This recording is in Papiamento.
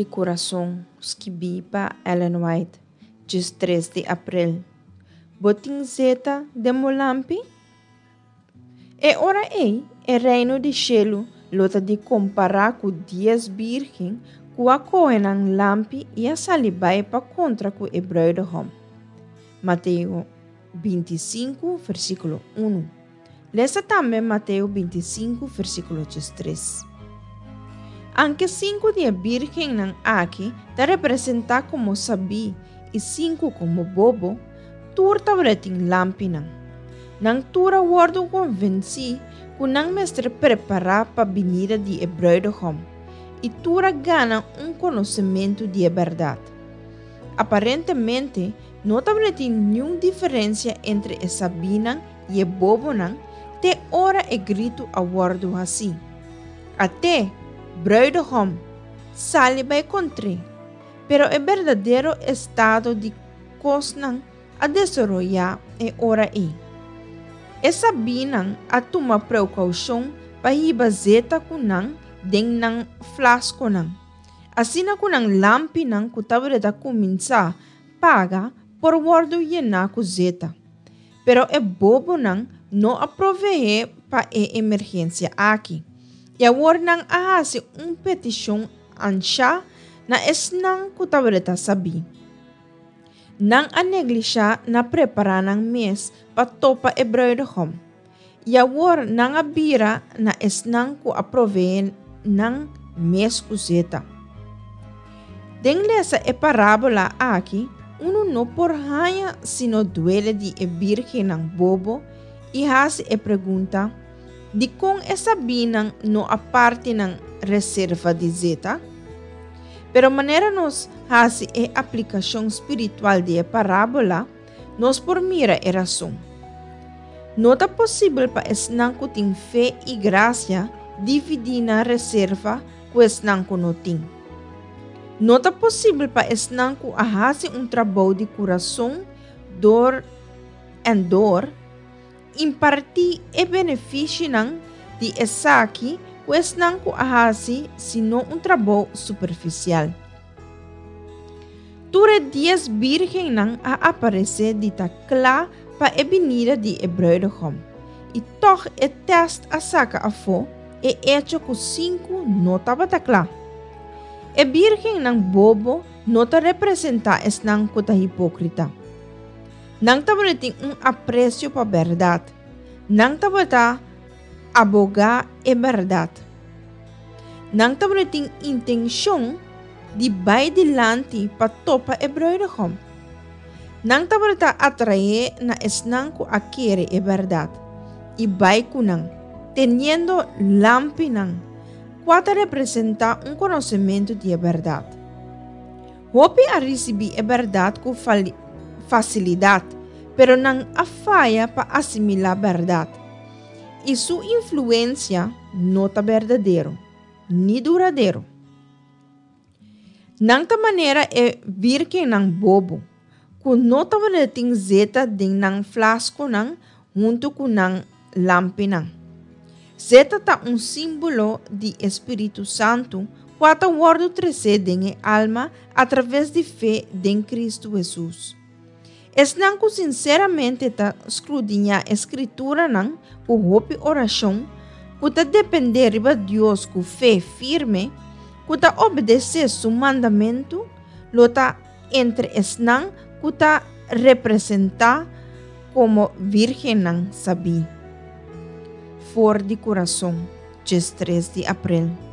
di Kurason, skibí pa Ellen White, 13 di aprel. Bo tin zeta den bo lampi? E ora ei, e reino di shelu lo ta di kompará ku dies bírgen ku a kohe nan lampi i a sali bai pa kontra ku e brùidehòm. Mateo 25, versíkulo 1. Lesa tambe Mateo 25, versíkulo 13. Anke sinku di e bírgennan aki ta representá komo sabí i sinku komo bobo, tur tabatin lampinan. Nan tur a wòrdu konvensí ku nan mester prepará pa binida di e brùidehòm, i tur a gana un konosementu di e bèrdat. Aparentemente, no tabatin niun diferensia entre e sabínan i e bobonan te ora e gritu a wòrdu hasí, At'é, brùidehòm! Sali bai kontr'é! Pero e berdadero estado di kosnan a desaroyá e ora ei. E sabínan a tuma preukoushon pa hiba zeta ku nan den nan flaskonan, asina ku nan lampinan ku tabata kuminsá paga por wòrdu yená ku zeta. Pero e bobonan no a proveé pa e emergensia aki, i awor nan a hasi un petishon anshá na esnan ku tabata sabí. Nan a neglishá na prepará nan mes pa topa e brùidehòm, i awor nan a bira na esnan ku a proveé nan mes ku zeta. Den lesa e parábola aki, unu no por haña sino duele di e bírgennan bobo i hasi e pregunta, Dikon e sabínan no a parti nan reserva di zeta? Pero manera nos hasi e aplikashon spiritual di e parábola, nos por mira e rason. No ta posibel pa esnan ku tin fe i grasia dividí nan reserva ku esnan ku no tin. No ta posibel pa esnan ku a hasi un trabou di kurason dor en dor, Impartí e benefishinan di esaki ku esnan ku a hasi sino un trabou superfisial. Tur e dies bírgennan a aparesé di ta kla pa e binida di e brùidehòm, i tòg e tèst a saka afó e echo ku sinku no tabata kla. E bírgennan bobo no ta representá esnan ku ta hipókrita. Nan tabatin un apresio pa bèrdat. Nan tabata abogá e bèrdat. Nan tabatin intenshon di bai dilanti pa topa e brùidehòm. Nan tabata atraé na esnan ku a kere e bèrdat i bai ku nan, teniendo lampinan, kua ta representá un konosementu di e bèrdat. Hopi a risibí e bèrdat ku fasilidat, pero nan a faya pa asimilá bèrdat. I su influensia no ta berdadero, ni duradero. Nan ta manera e bírgennan bobo, ku no tabata tin zeta den nan flaskonan huntu ku nan lampinan. Zeta ta un símbolo di e Spiritu Santu kua ta wòrdu tresé den e alma atraves di fe den Kristu Hesus. Esnan ku sinseramente ta skrudiñá e Skrituranan ku hopi orashon, ku ta dependé riba Dios ku fe firme, ku ta obedesé su mandamentu, lo ta entre esnan ku ta representá komo vírgennan sabí. For di kurason, 13 di aprel.